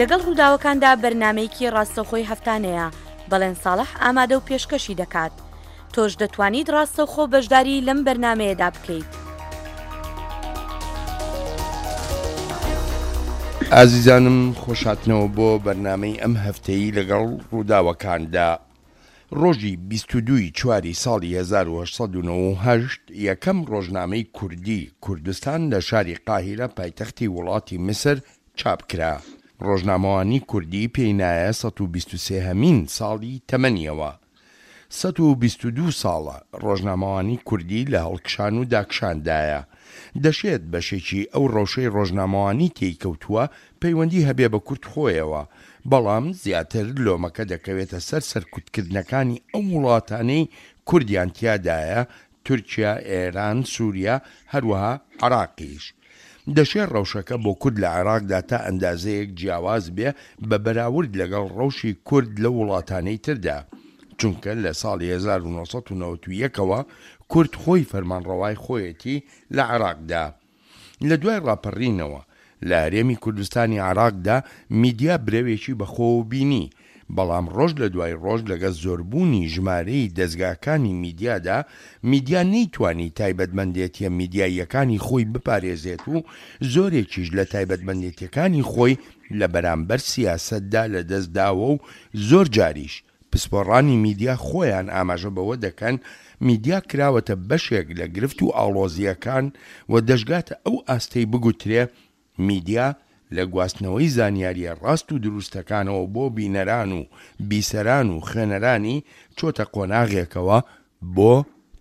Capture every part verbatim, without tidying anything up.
لەگەڵ ڕووداوەکاندا بەرنامەیەکی ڕاستەوخۆی هەفتانەیە، بەڵێن ساڵح ئامادە و پێشکەشی دەکات. تۆش دەتوانیت ڕاستەوخۆ بەشداری لەم بەرنامەیەدا بکەیت. ئازیزانم خۆشهاتنەوە بۆ بەرنامەی ئەم هەفتەی لەگەڵ ڕووداوەکاندا. ڕۆژی بیست و دوو ی چواری ساڵی هەزار و هەشت سەد و نەوەد و هەشت یەکەم ڕۆژنامەی کوردی کوردستان لە شاری قاهیرە پایتەختی وڵاتی میسر چاپ کرا. ڕۆژنامەوانی کوردی پێی نایە سەد و بیست و سێ هەمین ساڵی تەمەنیەوە. سەد و بیست و دوو ساڵە ڕۆژنامەوانی کوردی لە هەڵکشان و داکشاندایە. دەشێت بەشێکی ئەو ڕەوشەی ڕۆژنامەوانی تێی کەوتووە پەیوەندی هەبێ بە کورد خۆیەوە، بەڵام زیاتر لۆمەکە دەکەوێتە سەر سەرکوتکردنەکانی ئەو وڵاتانەی کوردیان تیادایە، تورکیا، ئێران، سوریا، هەروەها عێراقیش. دەشێ ڕەوشەکە بۆ کورد لە عێراقدا تا ئەندازەیەک جیاواز بێ بە بەراورد لەگەڵ ڕەوشی کورد لەو وڵاتانەی تردا، چونکە لە ساڵی هەزار و نۆ سەد و نەوەد و یەک ەوە کورد خۆی فەرمانڕەوای خۆیەتی لە عێراقدا. لە دوای ڕاپەڕینەوە لە هەرێمی کوردستانی عێراقدا میدیا برەوێکی بەخۆوە بینی، بەڵام ڕۆژ لە دوای ڕۆژ لەگەڵ زۆربوونی ژمارەی دەزگاکانی میدیادا میدیا نەیتوانی تایبەتمەندێتیە میدیاییەکانی خۆی بپارێزێت و زۆرێکیش لە تایبەتمەندێتیەکانی خۆی لە بەرامبەر سیاسەتدا لەدەست داوە و زۆر جاریش پسپۆڕانی میدیا خۆیان ئاماژە بەوە دەکەن میدیا کراوەتە بەشێک لە گرفت و ئاڵۆزییەکان و دەشگاتە ئەو ئاستەی بگوترێ میدیا لە گواستنەوەی زانیارییە ڕاست و دروستەکانەوە بۆ بینەران و بیسەران و خوێنەرانی چۆتە قۆناغێکەوە بۆ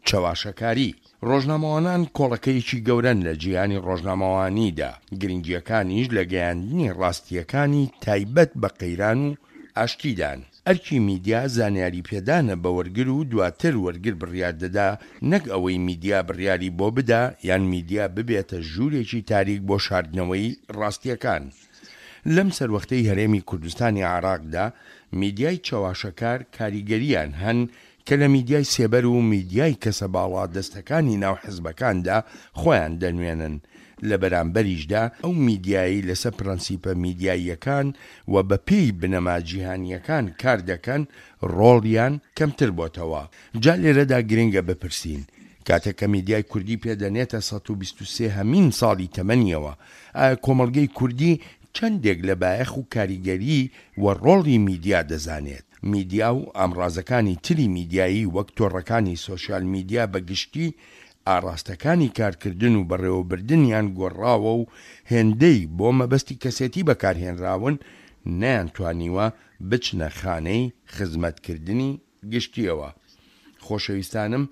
چەواشەکاری. ڕۆژنامەوانان کۆڵەکەیەکی گەورەن لە جیهانی ڕۆژنامەوانیدا، گرنگییەکانیش لە گەیاندنی ڕاستییەکانی تایبەت بە قەیران و ئاشتیدان. ئەرکی میدیا زانیاریپێدانە بە وەرگر و دواتر وەرگر بڕیار دەدا، نەک ئەوەی میدیا بڕیاری بۆ بدا یان میدیا ببێتە ژوورێکی تاریک بۆ شاردنەوەی ڕاستییەکان. لەم سەروەختەی هەرێمی کوردستانی عێراقدا میدیای چەواشەکار کاریگەرییان هەن کە لە میدیای سێبەر و میدیای کەسە باڵادەستەکانی ناو حزبەکاندا خۆیان دەنوێنن، لە بەرامبەریشدا ئەو میدیایەی لەسەر پرەنسیپە میدیاییەکان و بەپێی بنەما جیهانییەکان کار دەکەن ڕۆڵیان کەمتر بۆتەوە. جا لێرەدا گرنگە بپرسین کاتێک کە میدیای کوردی پێ دەنێتە سەد و بیست و سێ هەمین ساڵی تەمەنیەوە ئایا کۆمەڵگەی کوردی چەندێک لە بایەخ و کاریگەری و ڕۆڵی میدیا دەزانێت؟ میدیا و ئامڕازەکانی تری میدیایی وەک تۆڕەکانی سۆشیال میدیا بە گشتی ئاڕاستەکانی کارکردن و بەڕێوەبردنیان گۆڕاوە و هێندەی بۆ مەبەستی کەسێتی بەکارهێنراون نەیانتوانیوە بچنە خانەی خزمەتکردنی گشتیەوە. خۆشەویستانم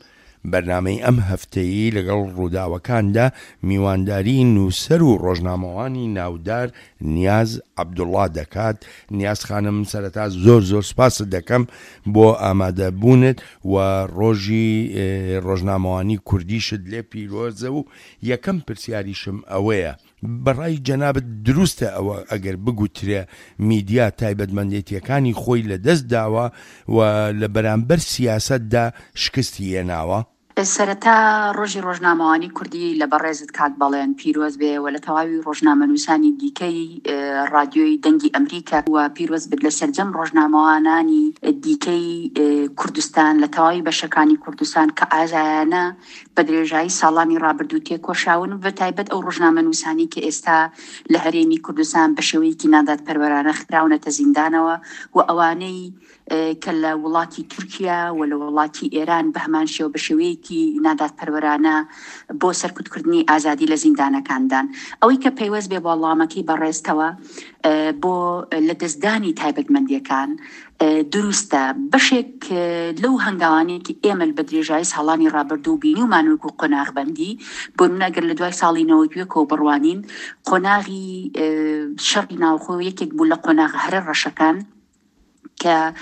بەرنامەی ئەم هەفتەیی لەگەڵ ڕووداوەکاندا میوانداری نووسەر و ڕۆژنامەوانی ناودار نیاز عەبدوڵڵا دەکات. نیاز خانم سەرەتا زۆر زۆر سوپاست دەکەم بۆ ئامادەبوونت و ڕۆژی ڕۆژنامەوانی کوردیشت لێ پیرۆزە و یەکەم پرسیاریشم ئەوەیە بەڕای جەنابت دروستە ئەوە ئەگەر بگوترێ میدیا تایبەتمەندێتیەکانی خۆی لەدەست داوە و لە بەرامبەر سیاسەتدا شکستی هێناوە؟ سەرەتا ڕۆژی ڕۆژنامەوانی کوردی لە بەڕێزت کاک بەڵێن پیرۆز بێ و لە تەواوی ڕۆژنامەنووسانی دیکەی ڕادیۆی دەنگی ئەمریکا و پیرۆز بێت لە سەرجەم ڕۆژنامەوانانی دیکەی کوردستان لە تەواوی بەشەکانی کوردستان کە ئازایانە بە درێژایی ساڵانی ڕابردوو تێکۆشاون و بە تایبەت ئەو ڕۆژنامەنووسانی کە ئێستا لە هەرێمی کوردستان بە شێوەیەکی نادادپەروەرانە خراونەتە زیندانەوە و ئەوانەی کە لە وڵاتی تورکیا و لە وڵاتی ئێران بە هەمان شێوە بە شێوەیەکی نادادپەروەرانە بۆ سەرکوتکردنی ئازادی لە زیندانەکاندان. ئەوەی کە پەیوەست بێ بۆ وەڵامەکەی بەڕێزتەوە بۆ لەدەستدانی تایبەتمەندیەکان دروستە. بەشێک لەو هەنگاوانەی کە ئێمە بە درێژایی ساڵانی ڕابردوو بینیومان وەکو قۆناغبەندی، بۆ نمونە ئەگەر لە دوای ساڵی نەوەد و یەکەوە بڕوانین، قۆناغی شەڕی ناوخۆ یەکێک بوو لە قۆناغە هەرە ڕەشەکان کە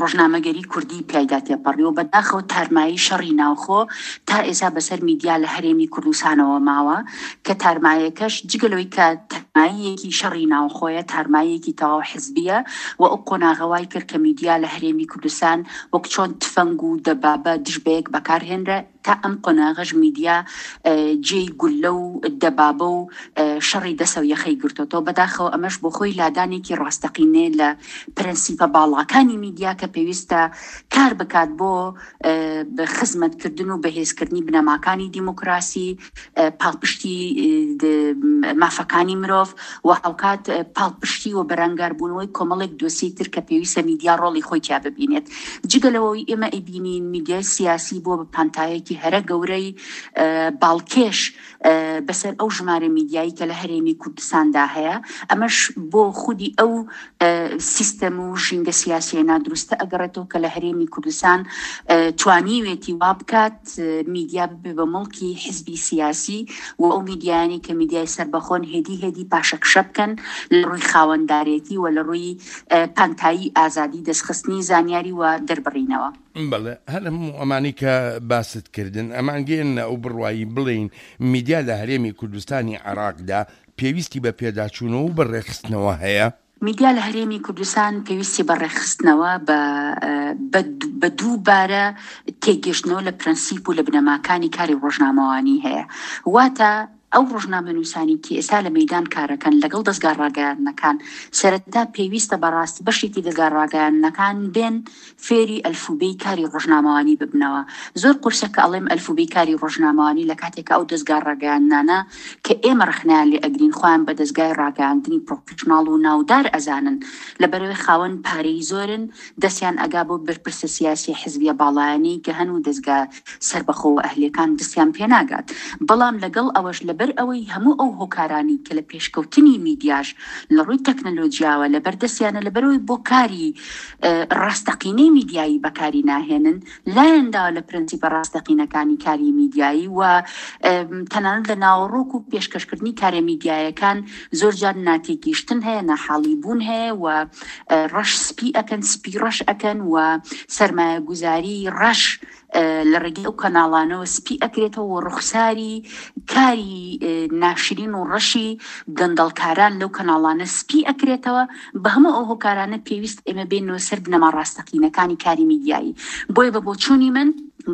ڕۆژنامەگەری کوردی پیایدا تێپەڕی و بەداخەوە تارمایی شەڕی ناوخۆ تا ئێستا بەسەر میدیا لە هەرێمی کوردستانەوە ماوە، کە تارمایەکەش جگە لەوەی کە تارماییەکی شەڕی ناوخۆیە، تارماییەکی تەواو حزبیە و ئەو قۆناغە وای کرد کە میدیا لە هەرێمی کوردستان وەک چۆن تفەنگ و دەبابە دژ بە یەک بەکارهێنرا، تا ئەم قۆناغەش میدیا جێی گوللە و دەبابە و شەڕی دەسە و یەخەی گرتۆتەوە. بەداخەوە ئەمەش بۆ خۆی لادانێکی ڕاستەقینەیە لە پرەنسیپە باڵاکانی میدیا کە پێویستە کار بکات بۆ خزمەتکردن و بەهێزکردنی بنەماکانی دیموکراسی، پاڵپشتی مافەکانی مرۆڤ و هاوکات پاڵپشتی و بەرەنگاربوونەوەی کۆمەڵێک دۆسیەی تر کە پێویستە میدیا ڕۆڵی خۆی تیا ببینێت. جگە لەوەی ئێمە ئەیبینین میدیای سیاسی بۆ بە پانتایەکی هەرە گەورەی باڵکێش بەسەر ئەو ژمارە میدیایی کە لە هەرێمی کوردستاندا هەیە، ئەمەش بۆ خودی ئەو سیستەم و ژینگە سیاسیە نادروستە ئەگەڕێتەوە کە لە هەرێمی کوردستان توانیوێتی وا بکات میدیا ببێ بە مڵکی حزبی سیاسی و ئەو میدیایانی کە میدیای سەربەخۆن هێدی هێدی پاشەکشە بکەن لە ڕووی خاوەندارێتی و لە ڕووی پانتایی ئازادی دەستخستنی زانیاری و دەربڕینەوە. بەڵێ، هەر هەموو ئەمانەی کە باست کردن ئەمانگەیەننە ئەو بڕوایی بڵێین میدیا لە هەرێمی کوردستانی عێراقدا پێویستی بە پێداچوونەوە و بە ڕێکخستنەوە هەیە؟ میدیا لە هەرێمی کوردستان پێویستی بە ڕێکخستنەوە، بە دووبارە تێگەشتنەوە لە پرەنسیپ و لە بنەماکانی کاری ڕۆژنامەوانی هەیە. واتە ئەو ڕۆژنامەنووسانی کە ئێستا لە مەیدان کارەکەن لەگەڵ دەزگا ڕاگەیاندنەکان، سەرەتا پێویستە بەڕاستی بەشێکی دەزگا ڕاگەیاندنەکان بێن فێری ئەلفوبێی کاری ڕۆژنامەوانی ببنەوە. زۆر قورسە کە ئەڵێم ئەلفوبێی کاری ڕۆژنامەوانی لە کاتێکە ئەو دەزگا ڕاگەیاندنانە کە ئێمە ڕەخنەیان لێ ئەگرین خۆیان بە دەزگای ڕاگەیاندنی پرۆفشناڵ و ناودار ئەزانن، لەبەرەوەی خاوەن پارەی زۆرن، دەستیان ئەگا بۆ بەرپرسە سیاسی حزبیە باڵایانەی کە هەن و دەزگا سەربەخۆ و ئەهلیەکان دەستیان پێناگات. بەڵام لەگەڵ ئەوەش لەبەر ئەوەی هەموو ئەو هۆکارانی کە لە پێشکەوتنی میدیاش لە ڕووی تەکنەلۆجیاوە لەبەر دەستیانە، لەبەرەوەی بۆ کاری ڕاستەقینەی میدیایی بەکاری ناهێنن، لایەن داوە لە پرەنسیپە ڕاستەقینەکانی کاری میدیایی و تەنانەت لە ناوەڕۆک و پێشکەشکردنی کارە میدیایەکان زۆر جار ناتێگەیشتن هەیە، ناحاڵی بوون هەیە و ڕەش سپی ئەکەن، سپی ڕەش ئەکەن و سەرمایەگوزاری ڕەش لە ڕێگەی ئەو کەناڵانەوە سپی ئەکرێتەوە و ڕوخساری کاری ناشرین و ڕەشی گەندەڵکاران لەو کەناڵانە سپی ئەکرێتەوە. بە هەموو ئەو هۆکارانە پێویست ئێمە بێنەوە سەر بنەما ڕاستەقینەکانی کاری میدیایی. بۆیە بە بۆچوونی من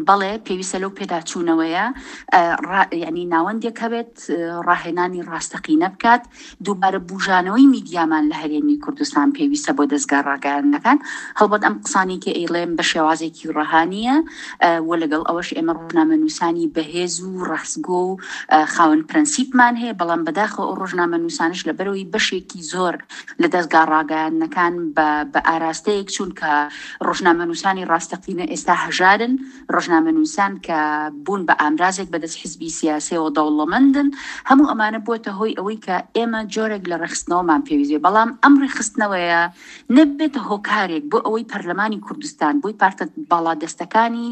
بەڵێ پێویستە لەو پێداچوونەوەیە ینی ناوەندێک هەبێت ڕاهێنانی ڕاستەقینە بکات. دووبارە بژانەوەی میدیامان لە هەرێمی کوردستان پێویستە بۆ دەزگا ڕاگەیاندنەکان. هەڵبەت ئەم قسانی کە ئەیڵێم بە شێوازێکی ڕەهانیە و لەگەڵ ئەوەش ئێمە ڕۆژنامەنووسانی بەهێز و ڕاستگۆ و خاوەن پرەنسیپمان هەیە، بەڵام بەداخەوە ئەو ڕۆژنامەنووسانش لەبەرەوەی بەشێکی زۆر لە دەزگا ڕاگەیاندنەکان بە ئاراستەیەک چوون کە ڕۆژنامەنووسانی ڕاستەقینە ئێستا هەژارن، ڕۆژنامەنووسان کە بوون بە ئامرازێک بەدەست حزبی سیاسیەوە دەوڵەمەندن، هەموو ئەمانە بووەتە هۆی ئەوەی کە ئێمە جۆرێک لە ڕێکخستنەوەمان پێویست، بەڵام ئەم ڕێکخستنەوەیە نەبێتە هۆکارێک بۆ ئەوەی پەرلەمانی کوردستان بۆی پارتە باڵادەستەکانی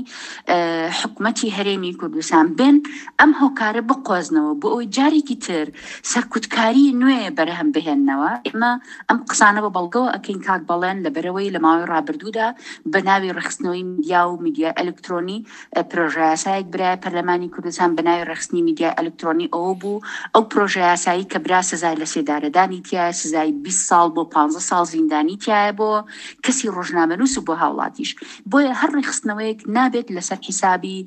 حکومەتی هەرێمی کوردستان بێن ئەم هۆکارە بقۆزنەوە بۆ ئەوەی جارێکی تر سەرکوتکاری نوێ بەرهەم بهێننەوە. ئێمە ئەم قسانە بە بەڵگەوە ئەکەین کاک بەڵێن، لەبەرەوەی لە ماوەی ڕابردوودا بە ناوی ڕێکخستنەوەی میدیا و میدیای ئەلکترۆنی پرۆژەیاسایەک برای پەرلەمانی کوردستان بە ناوی ڕێکخستنی میدیای ئەلکترۆنی ئەوە بوو ئەو پرۆژەیاسایی کە برا سزای لە سێدارەدانی تایە، سزای بیست ساڵ بۆ پانزە ساڵ زیندانی تایە بۆ کەسی ڕۆژنامەنووس و بۆ هاوڵاتیش. بۆیە هەر ڕێکخستنەوەیەک نابێت لەسەر حیسابی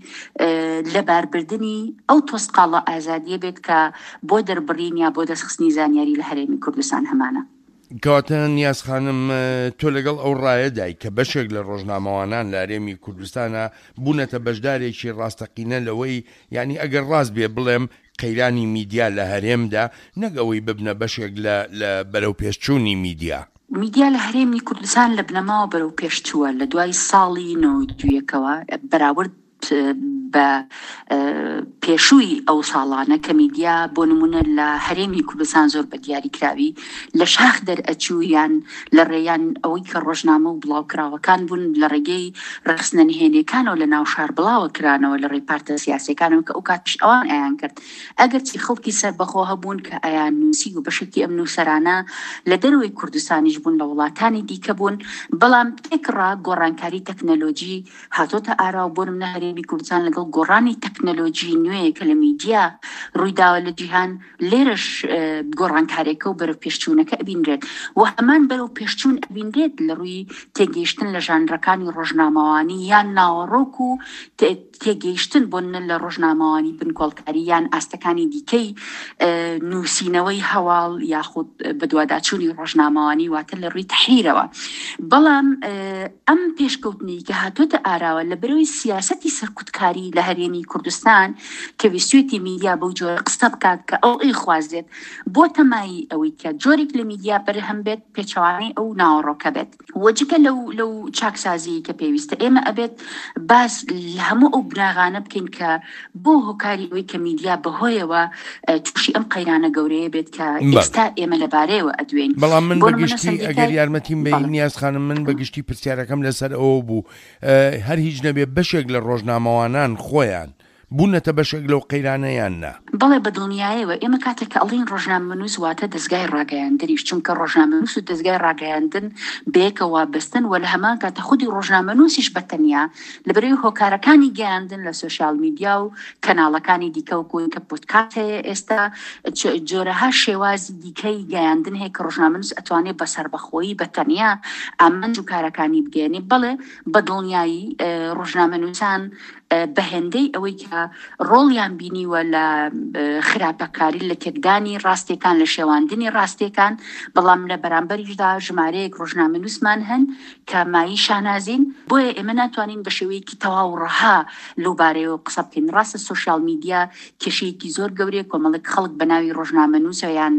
لەباربردنی ئەو تۆسقاڵە ئازادیە بێت کە بۆ دەربڕین یا بۆ دەستخستنی زانیاری لە هەرێمی کوردستان هەمانە. کەواتە نیاز خانم، تۆ لەگەڵ ئەو ڕایەدای کە بەشێک لە ڕۆژنامەوانان لە هەرێمی کوردستانە بوونەتە بەشدارێکی ڕاستەقینە لەوەی، یعنی ئەگەر ڕاست بێ بڵێم قەیرانی میدیا لە هەرێمدا نەک ئەوەی ببنە بەشێک لە بەرەو پێشچوونی میدیا. میدیا لە هەرێمی کوردستان لە بنەماوە بەرەو پێشچووە لە دوای ساڵی نەوەد و یەکەوە بەراورد بە پێشووی ئەو ساڵانە کە میدیا بۆ نمونە لە هەرێمی کوردستان زۆر بە دیاریکراوی لە شاخ دەرئەچوو یان لە ڕێیان ئەوەی کە ڕۆژنامە و بڵاوکراوەکان بوون لە ڕێگەی ڕێکخستنە نهێنیەکانەوە لە ناو شار بڵاوە کرانەوە لە ڕێی پارتە سیاسیەکانەوە کە ئەو کاتیش ئەوان ئەیان کرد. ئەگەرچی خەڵکی سەربەخۆ هەبوون کە ئەیان نووسی و بەشێکی ئەم نووسەرانە لە دەرەوەی کوردستانیش بوون، لە وڵاتانی دیکە بوون، بەڵام تێکڕا گۆڕانکاری تەکنەلۆژی هاتۆتە ئارا و بۆ نمونە هەرێمی کوردستان لەگەڵ گۆڕانی تەکنەلۆژی نوێ کە لە میدیا ڕوویداوە لە جیهان، لێرەش گۆڕانکارێکە و بەرەو پێشچوونەکە ئەبینرێت و هەمان بەرەو پێشچوون ئەبینرێت لە ڕووی تێگەیشتن لە ژانرەکانی ڕۆژنامەوانی یان ناوەڕۆک و تێگەیشتن بۆ نە لە ڕۆژنامەوانی بنکۆڵکاری یان ئاستەکانی دیکەی نووسینەوەی هەواڵ یاخود بەدواداچوونی ڕۆژنامەوانی، واتە لە ڕووی تەحریرەوە. بەڵام ئەم پێشکەوتنەی کە هاتۆتە ئاراوە لە بەرەوەی سیاسەتی سەرکوتکاری لە هەرێمی کوردستان کە ویستوێتی میدیا بەو جۆرە قسە بکات کە ئەو ئەیخوازێت، بۆ تەمایی ئەوەی کە جۆرێک لە میدیا بەرهەم بێت پێچەوانەی ئەو ناوەڕۆکە بێت. وەجگە لەو لەو چاکسازی کە پێویستە ئێمە ئەبێت باس لە هەموو ئەو بناغانە بکەین کە بۆ هۆکاری ئەوەی کە میدیا بەهۆیەوە تووشی ئەم قەیرانە گەورەیە بێت کە ئێستا ئێمە لەبارەیەوە ئەدوێین. بەڵام من بەگشتی ئەگەر یارمەتیم بەی نیاز خانم، من بەگشتی پرسیارەکەم لەسەر ئەوە بوو هەر هیچ نەبێ بەشێک لە ڕۆژنامەوانان خۆیان بوونەتە بەشێک لەو قەیرانەیان نا؟ بەڵێ بەدڵنیایەوە. ئێمە کاتێک کە ئەڵین ڕۆژنامەنووس واتە دەزگای ڕاگەیاندنیش، چونکە ڕۆژنامەنووس و دەزگای ڕاگەیاندن بەیەکەوە بەستن و لە هەمان کاتە خودی ڕۆژنامەنووسیش بەتەنیا لەبەرەوەی هۆکارەکانی گەیاندن لە سۆشیال میدیا و کەناڵەکانی دیکە و کۆی کە پۆدکاست هەیە ئێستا جۆرەها شێوازی دیکەی گەیاندن هەیە کە ڕۆژنامەنووس ئەتوانێت بە سەربەخۆیی بەتەنیا ئامانج و کارەکانی بگەیەنێ. بەڵێ بەدڵنیایی ڕۆژنامەنووسان بەهێندەی ئەوەی کە ڕۆڵیان بینیوە لە خراپەکاری، لە تێکدانی ڕاستیەکان، لە شێواندنی ڕاستیەکان، بەڵام لە بەرامبەریشدا ژمارەیەک ڕۆژنامەنووسمان هەن کە مایی شانازین. بۆیە ئێمە ناتوانین بە شێوەیەکی تەواو ڕەها لەو بارەیەوە قسە بکەین. ڕاستە سۆشیال میدیا کێشەیەکی زۆر گەورەیە، کۆمەڵێک خەڵک بە ناوی ڕۆژنامەنووسە یان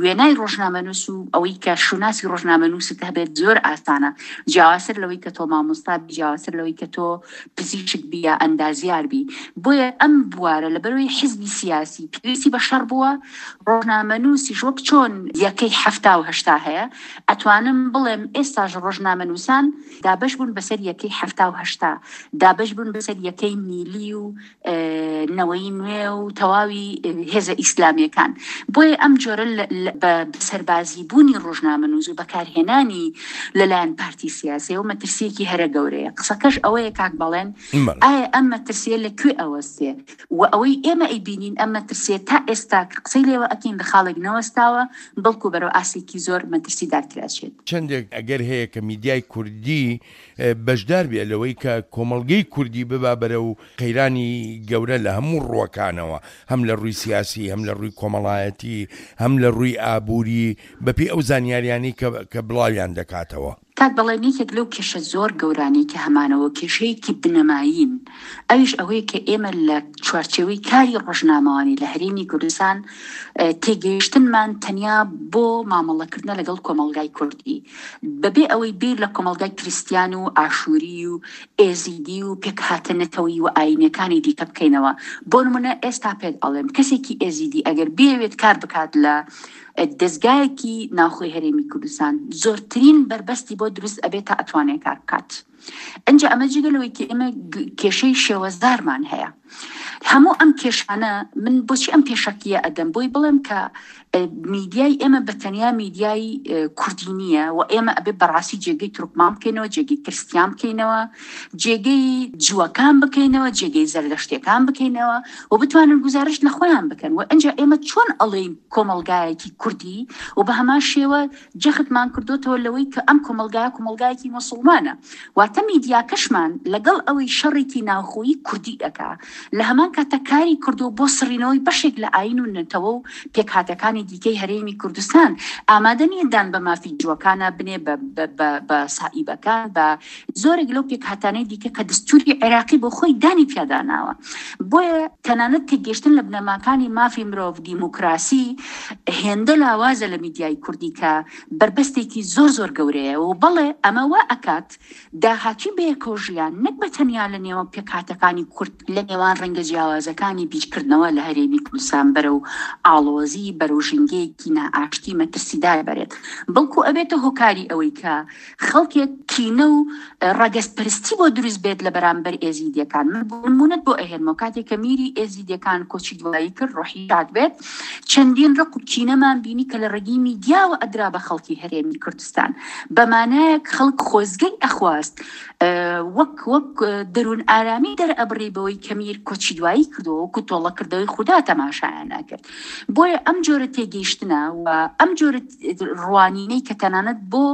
وێنای ڕۆژنامەنووس و ئەوەی کە شوناسی ڕۆژنامەنووست هەبێت زۆر ئاسانە، جیاوازتر لەوەی کە تۆ مامۆستا بی، جیاوازتر لەوەی کە تۆ پزیشک بی یا ئەندازیار بی. بۆیە ئەم بوارە لەبەرەوەی حیزبی سیاسی پێویستی بە شەڕ بووە، ڕۆژنامەنووسیش وەک چۆن یەکەی حەفتا و هەشتا هەیە، ئەتوانم بڵێم ئێستاش ڕۆژنامەنووسان دابەش بوون بەسەر یەکەی حەفتا و هەشتا، دابەش بوون بەسەر یەکەی میلی و نەوەی نوێ و تەواوی هێزە ئیسلامیەکان. بۆیە ئەم جۆرە بە سەربازی بوونی ڕۆژنامەنووس و بەکارهێنانی لەلایەن پارتی سیاسیەوە مەترسیەکی هەرە گەورەیە. قسەکەش ئەوەیە کاک بەڵێن، ئایا ئەم مەترسیە لە کوێ ئەوەستێ؟ و ئەوەی ئێمە ئەیبینین ئەم مەترسیە تا ئێستا کە قسەی لێوە ئەکەین لە خاڵێک نەوەستاوە، بەڵکو بەرەو ئاستێکی زۆر مەترسیدارتر ئەچێت. چەندێک ئەگەر هەیە کە میدیای کوردی بەشدار بێ لەوەی کە کۆمەڵگەی کوردی ببا بەرەو قەیرانی گەورە لە هەموو ڕووەکانەوە، هەم لە ڕووی سیاسی، هەم لە ڕووی کۆمەڵایەتی، هەم لە ڕووی ئابووری، بەپێی ئەو زانیاریانەی کە بڵاویان دەکاتەوە؟ کاک بەڵێن، یەکێک لەو کێشە زۆر گەورانەی کە هەمانەوە کێشەیەکی بنەمایین، ئەویش ئەوەیە کە ئێمە لە چوارچێوەی کاری ڕۆژنامەوانی لە هەرێمی کوردستان تێگەیشتنمان تەنیا بۆ مامەڵەکردنە لەگەڵ کۆمەڵگای کوردی، بەبێ ئەوەی بیر لە کۆمەڵگای کریستیان و ئاشووری و ئێزیدی و پێکهاتە نەتەوەیی و ئایینەکانی دیکە بکەینەوە. بۆ نمونە ئێستا پێت ئەڵێم کەسێکی ئێزیدی ئەگەر بێوێت کار بکات لە دەزگایەکی ناوخۆی هەرێمی کوردستان، زۆرترین بەربەستی بۆ دروست ئەبێت تا ئەتوانێت کار بکات. ئەنجا ئەمە جگە لەوەی کە ئێمە کێشەی شێوەزارمان هەیە. هەموو ئەم کێشانە من بۆچی ئەم پێشەکیە ئەدەم؟ بۆی بڵێم کە میدیای ئێمە بە تەنیا میدیای کوردی نییە و ئێمە ئەبێ بەڕاستی جێگەی تورکمان بکەینەوە، جێگەی کریستیان بکەینەوە، جێگەی جووەکان بکەینەوە، جێگەی زەردەشتیەکان بکەینەوە و بتوانن گوزارشت لە خۆیان بکەن. و ئەنجا ئێمە چۆن ئەڵێین کۆمەڵگایەکی کوردی و بە هەمان شێوە جەختمان کردوتەوە لەوەی کە ئەم کۆمەڵگایە کۆمەڵگایەکی موسڵمانە، واتە میدیاکەشمان لەگەڵ ئەوەی شەڕێکی ناوخۆیی کوردی ئەکا لە هەمان کاتە کاری کردو بۆ سڕینەوەی بەشێک لە ئایین و نەتەوە و پێکهاتەکانی دیکەی هەرێمی کوردستان، ئامادە نییە دان بە مافی جووەکانە بنێ، بە سائیبەکان، بە زۆرێک لەو پێکهاتانەی دیکە کە دەستوری عێراقی بۆ خۆی دانی پیاداناوە. بۆیە تەنانەت تێگەیشتن لە بنەماکانی مافی مرۆڤ، دیموکراسی هێندە لاوازە لە میدیای کوردی کە بەربەستێکی زۆر زۆر گەورەیە. و بەڵێ ئەمە وا ئەکات داهاتووی بەیەکەوە ژیان نەک بە تەنیا لە نێوان پێکهاتەکانی کورد، لە نێوان ڕەنگە جیاوازەکانی بیرکردنەوە لە هەرێمی کوردستان بەرەو ئاڵۆزی، بەرەو ژینگەیەکی نائاشتی مەترسیدار بەرێت، بەڵکو ئەبێتە هۆکاری ئەوەی کە خەڵکێک کینە و ڕەگەزپەرستی بۆ دروست بێت لە بەرامبەر ئێزیدیەکان. من بۆ نمونەت بۆ ئەهێنمەوە، کاتێک کە میری ئێزیدیەکان کۆچی دوایی کرد، ڕۆحی شاد بێت، چەندین ڕق و کینەمان بینی کە لە ڕێگەی میدیاوە ئەدرا بە خەڵکی هەرێمی کوردستان. بەمانایەک خەڵک خۆزگەی ئەخواست وەک وەک دەروون ئارامی دەرئەبڕی بەوەی کە میر کۆچی دوایی کردەوە، وەکو تۆڵەکردەوەی خودا تەماشایان ئەکرد. بۆیە ئەم جۆرە تێگەیشتنە و ئەم جۆرە ڕوانینەی کە تەنانەت بۆ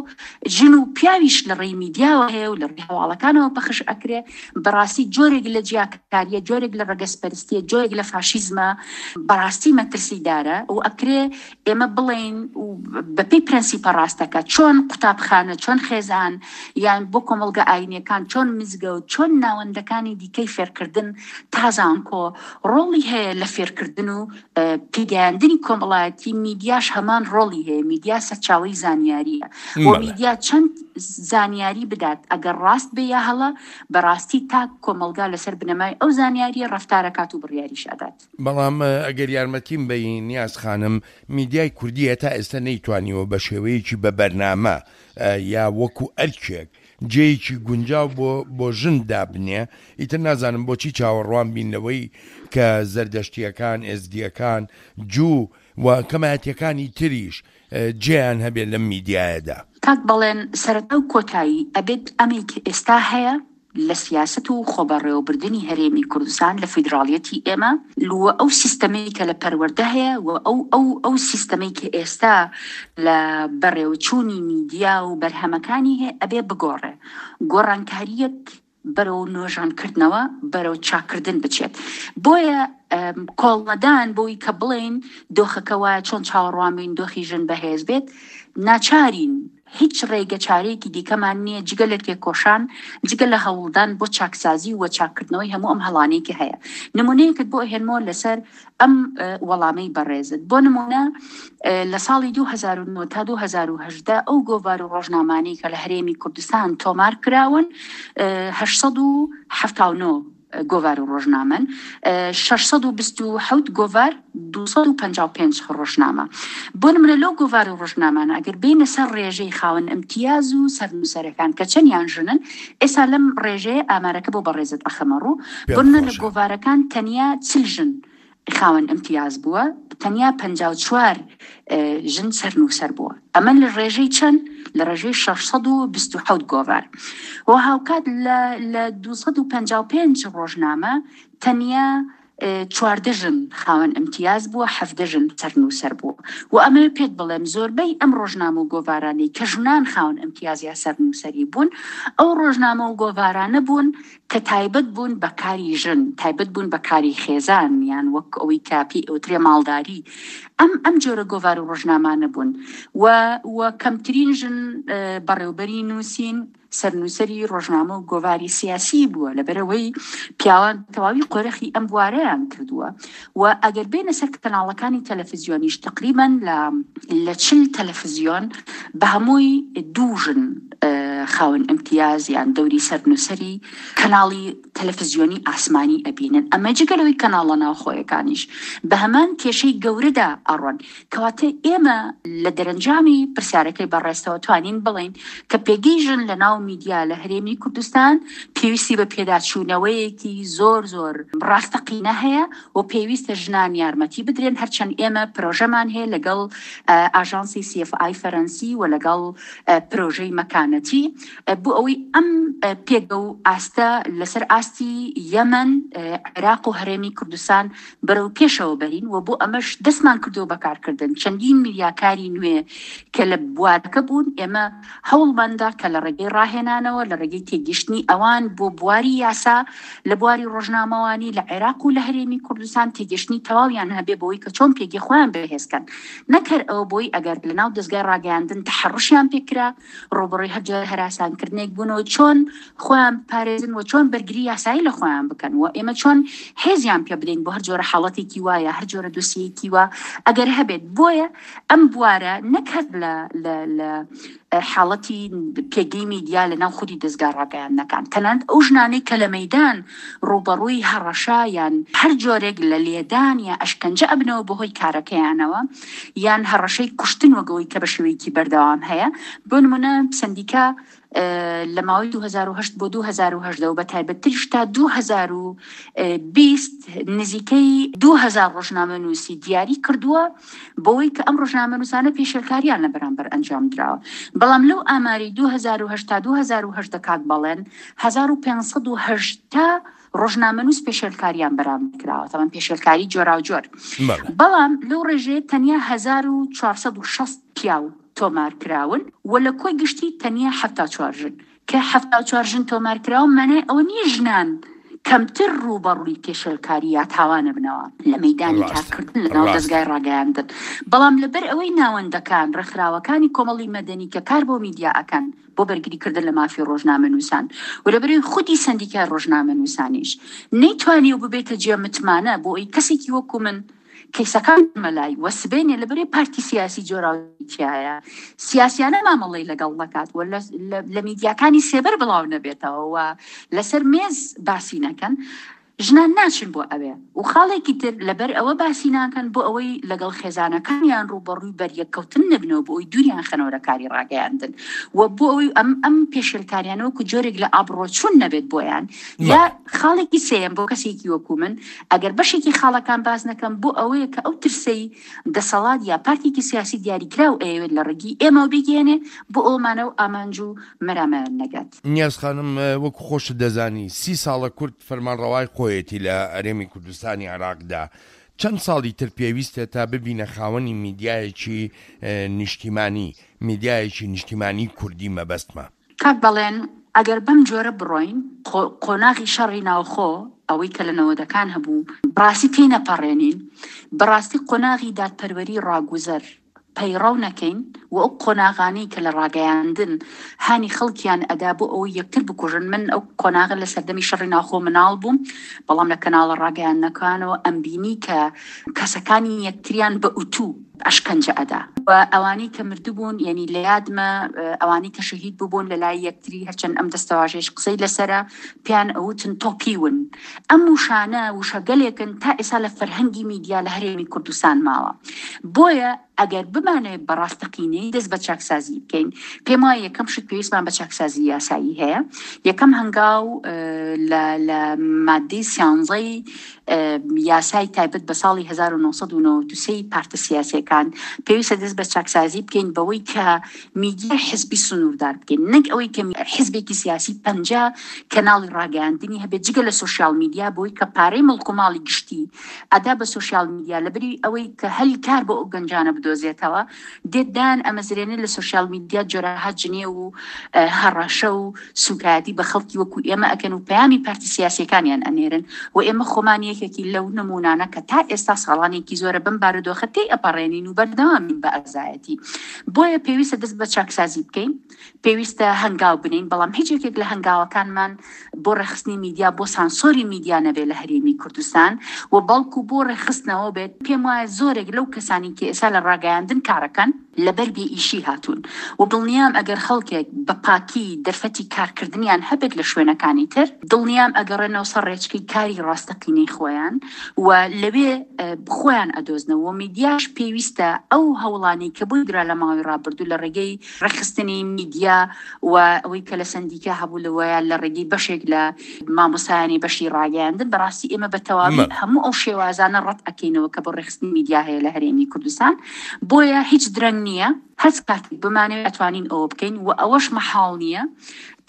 ژن و پیاویش لە ڕێی میدیاوە هەیە و لە ڕێی هەواڵەکانەوە پەخش ئەکرێ، بەڕاستی جۆرێک لە جیاکاریە، جۆرێک لە ڕەگەزپەرستیە، جۆرێک لە فاشیزمە، بەڕاستی مەترسیدارە و ئەکرێ ئێمە بڵێین بەپێی پرەنسیپە ڕاستەکە چۆن قوتابخانە، چۆن خێزان، یان بۆ کۆمەڵگە ئاینیەکان چۆن مزگەوت، چۆن ناوەندەکانی دیکەی فێرکردن تا زانکۆ ڕۆڵی هەیە لە فێرکردن و پێگەیاندنی کۆمەڵایەتی. میدیاش هەمان ڕۆڵی هەیە. میدیا سەرچاوەی زانیاریە و میدیا چەند زانیاری بدات ئەگەر ڕاست بێ یا هەڵە، بەڕاستی تا کۆمەڵگا لەسەر بنەمای ئەو زانیاریە ڕەفتارەکات و بڕیاریش ئەدات. بەڵام ئەگەر یارمەتیم بەی نیاز خانم، میدیای کوردیە تا ئێستا نەیتوانیوە بە شێوەیەکی بە بەرنامە یا وەکو ئەرکێک جێیەکی گونجاو بۆ بۆ ژن دابنێ. ئیتر نازانم بۆچی چاوەڕوان بین لەوەی کە زەردەشتیەکان، ئێزدیەکان، جوو و کەمایەتیەکانی تریش جێیان هەبێت لەم میدیایەدا. کاک بەڵێن، سەرەتا و کۆتایی ئەبێت ئەمەی کە ئێستا هەیە لە سیاسەت و خۆبەڕێوەبردنی هەرێمی کوردستان لە فیدراڵیەتی ئێمە و ئەو سیستەمەی کە لە پەروەردە هەیە و ئەو ئەو ئەو سیستەمەی کە ئێستا لە بەڕێوەچوونی میدیا و بەرهەمەکانی هەیە ئەبێ بگۆڕێ. گۆڕانکاریەک بەرەو نۆژەنکردنەوە، بەرەو چاکردن بچێت. بۆیە کۆڵنەدان بۆی کە بڵێین دۆخەکە وایە چۆن چاوەڕوان بین دۆخی ژن بەهێز بێت، ناچارین. هیچ ڕێگە چارەیەکی دیکەمان نییە جگە لە تێکۆشان، جگە لە هەوڵدان بۆ چاکسازی و چاککردنەوەی هەموو ئەم هەڵانەی کە هەیە. نمونەیەکت بۆ ئەهێنمەوە لەسەر ئەم وەڵامەی بەڕێزت. بۆ نمونە لە ساڵی دوو هەزار و نۆ تا دوو هەزار و هەژدە ئەو گۆڤار و ڕۆژنامانەی کە لە هەرێمی کوردستان تۆمار کراون هەشت سەد و حەفتا و نۆ گۆڤار و ڕۆژنامەن، شەش سەد و بیست و حەوت گۆڤار، دوو سەد و پەنجا و پێنج ڕۆژنامە. بۆ نمونە لەو گۆڤار و ڕۆژنامانە ئەگەر بینە سەر ڕێژەی خاوەن ئیمتیاز و سەرنووسەرەکان کە چەندیان ژنن، ئێستا لەم ڕێژەیە ئامارەکە بۆ بەڕێزت ئەخەمە ڕوو. بۆ نمونە لە گۆڤارەکان تەنیا چل ژن خاوەن ئیمتیاز بووە، تەنیا پەنجا و چوار ژن سەرنووسەر بووە. ئەمە لە ڕێژەی چەند؟ لە ڕێژەی شەش سەد و بیست و حەوت گۆڤار. و هاوکات لە دوو سەد و پەنجا و پێنج ڕۆژنامە تەنیا چواردە ژن خاوەن ئیمتیاز بووە، حەفدە ژن سەرنووسەر بووە. و ئەمە پێت بڵێم زۆربەی ئەم ڕۆژنامە و گۆڤارانەی کە ژنان خاوەن ئیمتیاز یا سەرنووسەری بوون، ئەو ڕۆژنامە و گۆڤارانە بوون کە تایبەت بوون بە کاری ژن، تایبەت بوون بە کاری خێزان، یان وەک ئەوەی کە پێی ئەوترێ ماڵداری. ئەم ئەم جۆرە گۆڤار و ڕۆژنامانە بوون و و کەمترین ژن بەڕێوبەری نووسین سەرنووسەری ڕۆژنامە و گۆڤاری سیاسی بووە، لەبەرەوەی پیاوان تەواوی قۆرخی ئەم بوارەیان کردووە. و ئەگەر بێنە سەر کەناڵەکانی تەلەفزیۆنیش تقریباً لە چل تەلەفزیۆن بە هەمووی دوو ژن خاوەن ئیمتیاز یان دەوری سەرنووسەری کەناڵی تەلەفزیۆنی ئاسمانی ئەبینن. ئەمە جگە لەوەی کەناڵە ناوخۆیەکانیش بە هەمان کێشەی گەورەدا ئەڕۆن. کەواتە ئێمە لە دەرەنجامی پرسیارەکەی بەڕێزتەوە توانین بڵێین کە پێگەی ژن لە ناو میدیا لە هەرێمی کوردستان پێویستی بە پێداچوونەوەیەکی زۆر زۆر ڕاستەقینە هەیە و پێویستە ژنان یارمەتی بدرێن. هەرچەند ئێمە پرۆژەمان هەیە لەگەڵ ئاژانسی سی ئێف ئای فەرەنسی و لەگەڵ پرۆژەی مەکانەتی بۆ ئەوەی ئەم پێگە و ئاستە لەسەر ئاستی یەمەن، عێراق و هەرێمی کوردستان بەرەو پێشەوە بەرین و بۆ ئەمەش دەستمان کردووە بەکارکردن چەندین میدیاکاری نوێ کە لە بوارەکە بوون. ئێمە هەوڵماندا کە لە ڕێگەی ڕاهێنانەوە، لە ڕێگەی تێگەیشتنی ئەوان بۆ بواری یاسا لە بواری ڕۆژنامەوانی لە عێراق و لە هەرێمی کوردستان تێگەیشتنی تەواویان هەبێ بۆی کە چۆن پێگەی خۆیان بەهێزکەن، نەکەر ئەوە بۆی ئەگەر لەناو دەستگای ڕاگەیاندن تەحەڕوشیان پێکرا، ڕووبەڕووی هەر جۆرە هەراسانکردنێک بوون و چۆن خۆیان بپارێزن و چۆن بەرگری یاسایی لە خۆیان بکەن و ئێمە چۆن هێزیان پێ بدەین بۆ هەر جۆرە حاڵەتێکی وایە، هەر جۆرە دۆسیەیەکی وا ئەگەر هەبێت. بۆیە ئەم بوارە نەک هەر لە لە حاڵەتی پێگەی میدیا لە ناو خودی دەستگا ڕاگەیاندنەکان، تەنانەت ئەو ژنانەی کە لە مەیدان ڕووبەڕووی هەڕەشە یان هەر جۆرێک لە لێدان یا ئەشکەنجە ئەبنەوە بەهۆی کارەکەیانەوە یان هەڕەشەی کوشتن وەگەوەی کە بە شێوەیەکی بەردەوام هەیە. بۆ نمونە سەندیکا لە ماوەی دوو هەزار و هەشت بۆ دوو هەزار و هەژدە و بە تایبەتتریش تا دوو هەزار و بیست نزیکەی دوو هەزار ڕۆژنامەنووسی دیاری کردووە بۆی کە ئەم ڕۆژنامەنووسانە پێشێلکاریان لە بەرامبەر ئەنجام دراوە. بەڵام لەو ئاماری دوو هەزار و هەشت تا دوو هەزار و هەژدە کاک بەڵێن هەزار و پێنج سەد و هەشتا ڕۆژنامەنووس پێشێلکاریان بەرامبەر کراوە، تەمان پێشێلکاری جۆراوجۆر. بەڵام لەو ڕێژەیە تەنیا هەزار و چوار سەد و شەست پیاو تۆمار کراون و لە کۆی گشتی تەنیا حەفتا و چوار ژن. کە حەفتا و چوار ژن تۆمار کراون مانای ئەوە نییە ژنان کەمتر ڕووبەڕووی پێشێلکاری یا تاوانە بنەوە لە مەیدانی کارکردن لەناو دەزگای ڕاگەیاندن، بەڵام لەبەر ئەوەی ناوەندەکان ڕێکخراوەکانی کۆمەڵی مەدەنی کە کار بۆ میدیا ئەکەن بۆ بەرگریکردن لە مافی ڕۆژنامەنووسان و لەبەرەوەی خودی سەندیکای ڕۆژنامەنووسانیش نەیتوانیوە ببێتە جێ متمانە بۆ ئەوەی کەسێکی وەکو من کەیسەکان مەلای و سبەینێ لەبەرەی پارتی سیاسی جۆراوجۆرایە سیاسیانە مامەڵەی لەگەڵ نەکات و لە میدیاکانی سێبەر بڵاو نەبێتەوە و لەسەر مێز باسی نەکەن، ژنان ناچن بۆ ئەوێ. و خاڵێکی تر لەبەر ئەوە باسی ناکەن بۆ ئەوەی لەگەڵ خێزانەکانیان ڕووبەڕووی بەریەککەوتن نەبنەوە، بۆ ئەوەی دووریان خەنەوە لە کاری ڕاگەیاندن و بۆ ئەوەی ئەم ئەم پێشێلکاریانە وەکو جۆرێک لە ئابڕۆچوون نەبێت بۆیان. یا خاڵێکی سێیەم بۆ کەسێکی وەکو من ئەگەر بەشێکی خاڵەکان باز نەکەم بۆ ئەوەیە کە ئەو ترسەی دەسەڵات یا پارتێکی سیاسی دیاریکراو ئەیەوێت لە ڕێگەی ئێمەوە بیگەیەنێ بۆ ئەومانە و ئامانج و مەرامەیان نەگات. نیاز خانم، وەکو خۆشت دەزانی سی ساڵە کورد فەرمانڕەوای خۆیەتی لە هەرێمی کوردستانی عێراقدا. چەند ساڵی تر پێویستە تا ببینە خاوەنی میدیایەکی نیشتیمانی، میدیایەکی نیشتیمانی کوردی مەبەستمە؟ کاک بەڵێن، ئەگەر بەم جۆرە بڕۆین قۆناغی شەڕی ناوخۆ ئەوەی کە لە نەوەدەکان هەبوو بەڕاستی تێی نەپەڕێنین، بەڕاستی قۆناغی دادپەروەری ڕاگوزەر پەیڕەو نەکەین و ئەو قۆناغانەی کە لە ڕاگەیاندن هانی خەڵکیان ئەدا بۆ ئەوەی یەکتر بکوژن. من ئەو قۆناغە لە سەردەمی شەڕی ناوخۆ مناڵ بووم، بەڵام لە کەناڵە ڕاگەیاندنەکانەوە ئەمبینی کە کەسەکانی یەکتریان بە ئوتوو ئەشکەنجە ئەدا و ئەوانەی کە مردبوون، یعنی لە یادمە ئەوانەی کە شەهید ببوون لە لای یەکتری، هەرچەند ئەم دەستەواژەیش قسەی لەسەرە پێیان ئەوتن تۆپیون. ئەم وشانە وشەگەلێکن تا ئێستا لە فەرهەنگی میدیا لە هەرێمی کوردستان ماوە. بۆیە ئەگەر بمانەوێت بە ڕاستەقینەی دەست بە چاکسازی بکەین، پێم وایە یەکەم شت پێویستمان بە چاکسازی یاسایی هەیە. یەکەم هەنگاو لە مادەی سیانزەی یاسای تایبەت بە ساڵی هەزار و نۆ سەد و نەوەد و سێ پارتە سیاسیەکان پێویستە دەست بە چاکسازی بکەین بەوەی کە میدیای حزبی سنووردار بکەین، نەک ئەوەی کە حزبێکی سیاسی پەنجا کەناڵی ڕاگەیاندنی هەبێت جگە لە سۆشیال میدیا، بۆی کە پارەی مڵک و ماڵی گشتی ئەدا بە سۆشیال میدیا، لەبری ئەوەی کە هەلی کار بۆ ئەو گەنجانە بدۆزێتەوە دێت دایان ئەمەزرێنێ لە سۆشیال میدیا جۆرەها جنێ و هەڕەشە و سوکایەتی بە خەڵکی وەکو ئێمە ئەکەن و پەیامی پارتی سیاسیەکانیان ئەنێرن و ئێمە خۆمان یەکێکی لەو نمونانە کە تا ئێستا ساڵانێکی زۆرە بەم بارودۆخە تێی ئەپەڕێنین و بەردەوامین بە ئازایەتی. بۆیە پێویستە دەست بە چاکسازی بکەین، پێویستە هەنگاو بنین، بەڵام هیچ یەکێک لە هەنگاوەکانمان بۆ ڕێخستنی میدیا، بۆ سانسۆری میدیا نەبێت لە هەرێمی کوردستان و بەڵکو بۆ ڕێخستنەوە بێت. پێم وایە زۆرێک لەو کەسانی کە ئێستا لە ڕاگەیاندن کارەکەن لەبەر بێ ئیشی هاتوون و دڵنیام ئەگەر خەڵکێک بە پاکی دەرفەتی کارکردنیان هەبێت لە شوێنەکانی تر، دڵنیام ئەگەڕێنەوە سەر ڕێچکەی کاری ڕاستەقینەی خۆیان و لەوێ خۆیان ئەدۆزنەوە. میدیاش پێویستە ئەو هەوڵانەی کە بۆی درا لە ماوەی ڕابردوو لە ڕێگەی ڕێکخستنی میدیا و ئەوەی کە لە سەندیکا هەبوو لەوەیە لە ڕێگەی بەشێک لە مامۆستایانی بەشی ڕاگەیاندن، بەڕاستی ئێمە بە تەواوی هەموو ئەو شێوازانە ڕەت ئەکەینەوە کە بۆ ڕێکخستنی میدیا هەیە لە هەرێمی کوردستان. بۆیە هیچ درەنگ نییە، هەر کاتێک بمانەوێت ئەتوانین ئەوە بکەین و ئەوەش مەحاڵ نییە،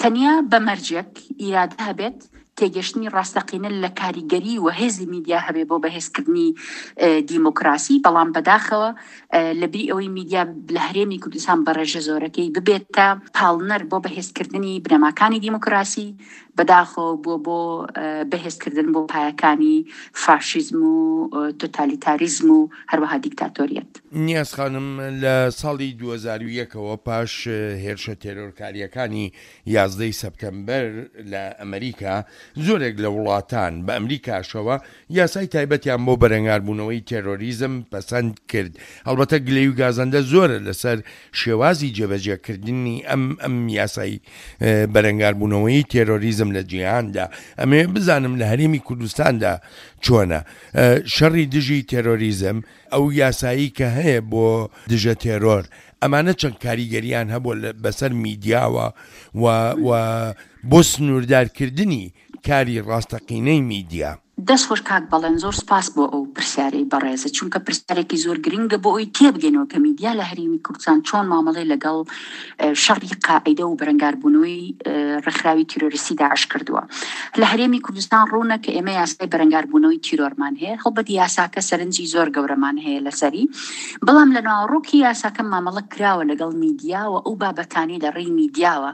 تەنیا بە مەرجێک ئیرادە هەبێت، تێگەشتنی ڕاستەقینە لە کاریگەری و هێزی میدیا هەبێ بۆ بەهێزکردنی دیموکراسی. بەڵام بەداخەوە لەبری ئەوەی میدیا لە هەرێمی کوردستان بە ڕێژە زۆرەکەی ببێتە پاڵنەر بۆ بەهێزکردنی بنەماکانی دیموکراسی، بەداخەوە بۆ بۆ بەهێزکردن بۆ پایەکانی فاشیزم و تۆتالیتاریزم و هەروەها دیکتاتۆریەت. نیاز خانم، لە ساڵی دوو هەزار و یەکەوە پاش هێرشە تێرۆرکاریەکانی یازدەی سەپتەمبەر لە ئەمریکا، زۆرێک لە وڵاتان بە ئەمریکاشەوە یاسای تایبەتیان بۆ بەرەنگاربوونەوەی تێرۆریزم پەسەند کرد. ئەلبەتە گلەی و گازەندە زۆرە لەسەر شێوازی جێبەجێکردنی ئەم ئەم یاسای بەرەنگاربوونەوەی تێرۆریزم لە جیهاندا. ئەمێ بزانم لە هەرێمی کوردستاندا چۆنە شەڕی دژی تێرۆریزم، ئەو یاسایی کە هەیە بۆ دژە تێرۆر، ئەمانە چەند کاریگەریان هەبووە بەسەر میدیاوە و و بۆ سنووردارکردنی کاری ڕاستەقینەی میدیا؟ دەست خۆش کاک بەڵێن، زۆر سپاس بۆ ئەو پرسیارەی بەڕێزت، چونکە پرسیارێکی زۆر گرنگە بۆ ئەوی تێبگەینەوە کە میدیا لە هەرێمی کوردستان چۆن مامەڵەی لەگەڵ شەڕی قاعیدە و بەرەنگاربوونەوەی ڕێکخراوی تیرۆریستی داعش کردووە. لە هەرێمی کوردستان ڕوونە کە ئێمە یاسای بەرەنگاربوونەوەی تیرۆرمان هەیە، هەڵبەت یاساکە سەرنجی زۆر گەورەمان هەیە لەسەری، بەڵام لە ناوەڕۆکی یاساکە مامەڵە کراوە لەگەڵ میدیا و ئەو بابەتانی لە ڕێی میدیاوە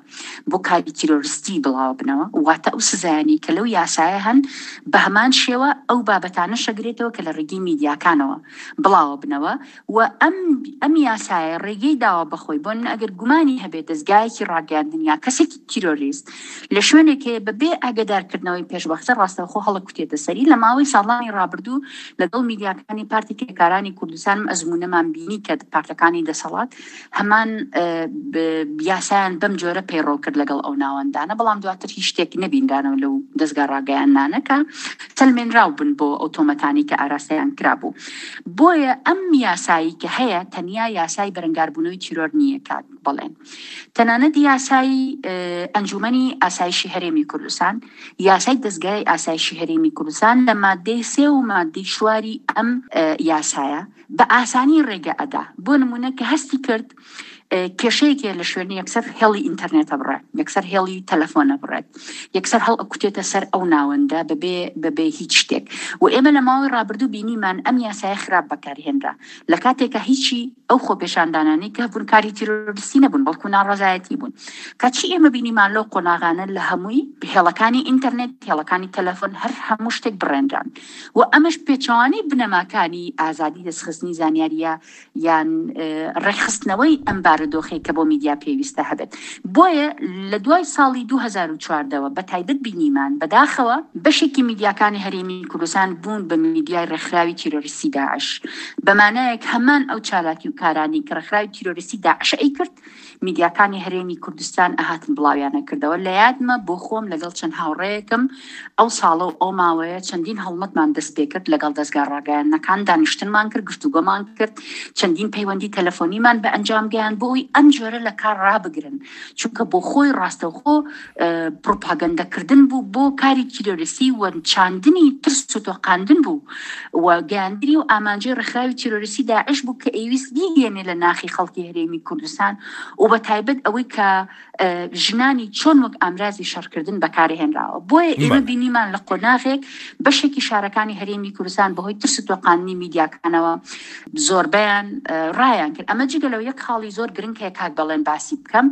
بۆ کاری تیرۆریستی بڵاوبنەوە، واتە ئەو سزایانەی کە لەو یاسایە هەن بە هەمان شێوە ئەو بابەتانە شەگرێتەوە کە لە ڕێگەی میدیاکانەوە بڵاوە بنەوە و ئەم ئەم یاسایە ڕێگەی داوە بەخۆی بۆ من ئەگەر گومانی هەبێت دەزگایەکی ڕاگەیاندن یا کەسێکی تیرۆریست لە شوێنێک هەیە بەبێ ئاگادارکردنەوەی پێشوەختە ڕاستەوخۆ هەڵەکوتێتە سەری. لە ماوەی ساڵانی ڕابردوو لەگەڵ میدیاکانی پارتی کرێکارانی کوردستانم ئەزمونەمان بینی کە پارتەکانی دەسەڵات هەمان یاسایان بەم جۆرە پەیڕەو کرد لەگەڵ ئەو ناوەندانە، بەڵام دواتر هیچ شتێک نەبینرانەوە لەو دەزگا ڕاگەیاندنانە کە سەلمێنراو بوون بۆ ئەو تۆمەتانی کە ئاراستەیان کرابوو. بۆیە ئەم یاسایی کە هەیە تەنیا یاسای بەرەنگاربوونەوەی تیرۆر نییە کاک بەڵێن، تەنانەت یاسای ئەنجومەنی ئاسایشی هەرێمی کوردستان، یاسای دەزگای ئاسایشی هەرێمی کوردستان لە مادەی سێ و مادەی چواری ئەم یاسایە بە ئاسانی ڕێگە ئەدا. بۆ نمونە کە هەستی کرد کێشەیەک هەیە لە شوێنی، یەکسەر هێڵی ئینتەرنێتە بڕێت، یەکسەر هێڵی تەلەفۆنە بڕێت، یەکسەر هەڵ ئەکوتێتە سەر ئەو ناوەندە بەبێ بەبێ هیچ شتێک. و ئێمە لە ماوەی ڕابردوو بینیمان ئەم یاسایە خراپ بەکارهێنرا لە کاتێکە هیچی ئەو خۆپێشاندانانەی کە بوون کاری تیرۆریستی نەبوون بەڵکو ناڕەزایەتی بوون. کەچی ئێمە بینیمان لەو قۆناغانە لە هەمووی هێڵەکانی ئینتەرنێت، هێڵەکانی تەلەفۆن، هەر هەموو شتێک بڕێنران و ئەمەش پێچەوانەی بنەماکانی ئازادی دەستخستنی زانیاریە یان ڕێکخستنەوەی ئەم بارودۆخەی کە بۆ میدیا پێویستە هەبێت. بۆیە لە دوای ساڵی دوو هەزار و چواردەوە بە تایبەت بینیمان بەداخەوە بەشێکی میدیاکانی هەرێمی کوردستان بوون بە میدیای ڕێکخراوی تیرۆریستی داعش، بەمانایەک هەمان ئەو چالاکی و کارانی کە ڕێکخراوی تیرۆریستی داعش ئەی کرد میدیاکانی هەرێمی کوردستان ئەهاتن بڵاویانە کردەوە. لە یادمە بۆ خۆم لەگەڵ چەند هاوڕێیەکم ئەو ساڵە و ئەو ماوەیە چەندین هەڵمەتمان دەست پێ کرد لەگەڵ دەزگا ڕاگەیاندنەکان، دانیشتنمان کرد، گفتوگۆمان کرد، چەندین پەیوەندی تەلەفۆنیمان بە ئەنجام گەیاند بۆ ئەوەی ئەم جۆرە لە کار ڕابگرن، چونکە بۆ خۆی ڕاستەوخۆ پروپاگەندەکردن بوو بۆ کاری تیرۆریستی و چاندنی ترس و تۆقاندن بوو و گەیاندنی و ئامانجی ڕێکخراوی تیرۆریستی داعش بوو کە ئەیویست بیگەیەنێ لە ناخی خەڵکی هەرێمی کوردستان و بە تایبەت ئەوەی کە ژنانی چۆن وەک ئامرازی شەڕکردن بەکارهێنراوە. بۆیە ئێمە بینیمان لە قۆناغێک بەشێکی شارەکانی هەرێمی کوردستان بەهۆی ترس و تۆقاندنی میدیاکانەوە زۆربەیان ڕایان کرد. ئەمە جگە لەو یەک خاڵی زۆر گرنگ هەیە کاک بەڵێن باسی بکەم،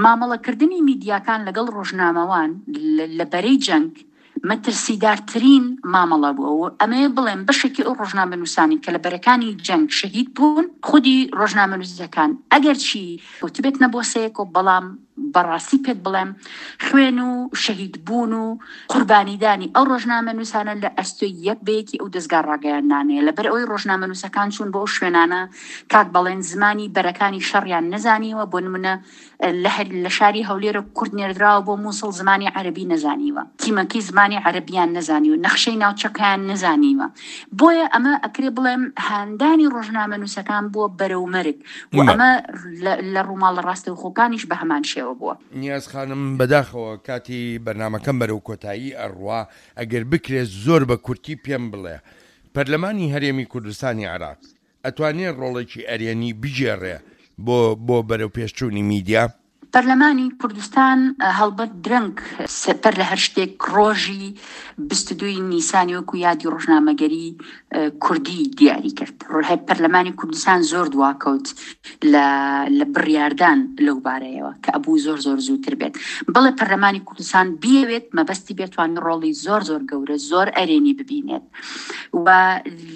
مامەڵەکردنی میدیاکان لەگەڵ ڕۆژنامەوان لە بەرەی جەنگ مەترسیدارترین مامەڵە بووە. و ئەمەیە بڵێم بەشێکی ئەو ڕۆژنامەنووسانی کە لە بەرەکانی جەنگ شەهید بوون، خودی ڕۆژنامەنووسەکان ئەگەرچی کەوتبێتنە بۆسەیەک و بەڵام بەڕاستی پێت بڵێم خوێن و شەهید بوون و قوربانیدانی ئەو ڕۆژنامەنووسانە لە ئەستۆی یەک بە یەکی ئەو دەزگا ڕاگەیاندنانەیە. لەبەر ئەوەی ڕۆژنامەنووسەکان چوون بۆ ئەو شوێنانە کاک بەڵێن زمانی بەرەکانی شەڕیان نەزانیوە. بۆ نمونە لە شاری هەولێرە کورد نێردراوە بۆ مووسڵ زمانی عەرەبی نەزانیوە، تیمەکەی زمانی عەرەبیان نەزانیوە، نەخشەی ناوچەکەیان نەزانیوە. بۆیە ئەمە ئەکرێ بڵێم هاندانی ڕۆژنامەنووسەکان بووە بەرەو مەرگ و ئەمە لە ڕووماڵە ڕاستەوخۆکانیش بە هەمان شێوە بووە. نیاز خانم، بەداخەوە کاتی بەرنامەکەم بەرەو کۆتایی ئەڕوا، ئەگەر بکرێت زۆر بە کورتی پێم بڵێ پەرلەمانی هەرێمی کوردستانی عێراق ئەتوانێت ڕۆڵێکی ئەرێنی بگێڕێ بۆ بۆ بەرەو پێشچوونی میدیا؟ پەرلەمانی کوردستان هەڵبەت درەنگ بەر لە هەر شتێک ڕۆژی بیست و دووی نیسانی وەکو یادی ڕۆژنامەگەری کوردی دیاری کرد. پەرلەمانی کوردستان زۆر دواکەوت لە بڕیاردان لەو بارەیەوە کە ئەبوو زۆر زۆر زووتر بێت. بەڵێ پەرلەمانی کوردستان بیەوێت مەبەستی بێتوانێت ڕۆڵی زۆر زۆر گەورە زۆر ئەرێنی ببینێت و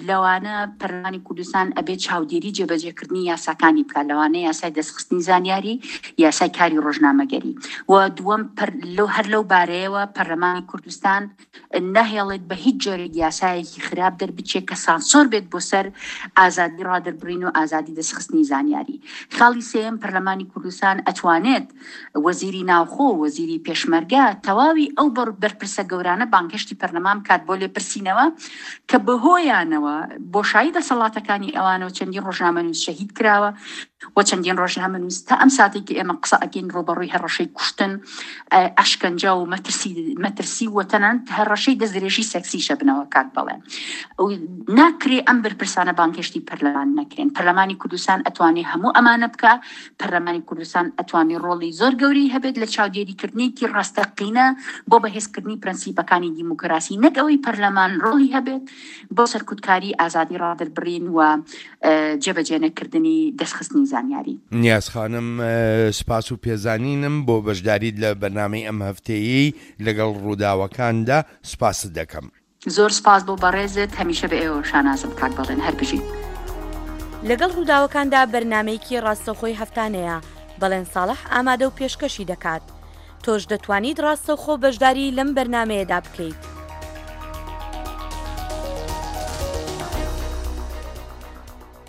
لەوانە پەرلەمانی کوردستان ئەبێت چاودێری جێبەجێکردنی یاساکانی بکات، لەوانە یاسای دەستخستنی زانیاری، یاسای کاری کاری ڕۆژنامەگەری و دووەم هەر لەو بارەیەوە پەرلەمانی کوردستان ناهێڵێت بە هیچ جۆرێک یاسایەکی خراپ دەربچێت کە سانسۆر بێت بۆ سەر ئازادی ڕادەربڕین و ئازادی دەستخستنی زانیاری. خاڵی سێیەم، پەرلەمانی کوردستان ئەتوانێت وەزیری ناوخۆ، وەزیری پێشمەرگە، تەواوی ئەو بەرپرسە گەورانە بانگهێشتی پەرلەمان بکات بۆ لێپرسینەوە کە بەهۆیانەوە بۆشایی دەسەڵاتەکانی ئەوانەوە چەندین ڕۆژنامەنووس شەهید کراوە و چەندین ڕۆژنامەنووس تا ئەم ساتەی کە ئێمە قسە ئەکەین ڕووبەڕووی هەڕەشەی کوشتن، ئەشکەنجە و مەترسی مەترسی و تەنانەت هەڕەشەی دەستدرێژی سێکسیشە بنەوە کاک بەڵێن ناکرێ ئەم بەرپرسانە بانگهێشتی پەرلەمان نەکرێن. پەرلەمانی کوردستان ئەتوانێ هەموو ئەمانە بکا. پەرلەمانی کوردستان ئەتوانێ ڕۆڵی زۆر گەورەی هەبێت لە چاودێریکردنێکی ڕاستەقینە بۆ بەهێزکردنی پرەنسیپەکانی دیموکراسی، نەک ئەوەی پەرلەمان ڕۆڵی هەبێت بۆ سەرکوتکاری ئازادی ڕادەربڕین و جێبەجێنەکردنی دەستخستنی زانیاری. نیاز خانم سپاس و پێزانینم بۆ بەشداریت لە بەرنامەی ئەم هەفتەیەی لەگەڵ ڕووداوەکاندا سپاست دەکەم. زۆر سپاس بۆ بەڕێزت، هەمیشە بە ئێوەوە شانازم کاک بەڵێن، هەر بژیت. لەگەڵ ڕووداوەکاندا بەرنامەیەکی ڕاستەوخۆی هەفتانەیە، بەڵێن ساڵح ئامادە و پێشکەشی دەکات. تۆش دەتوانیت ڕاستەوخۆ بەشداری لەم بەرنامەیەدا بکەیت.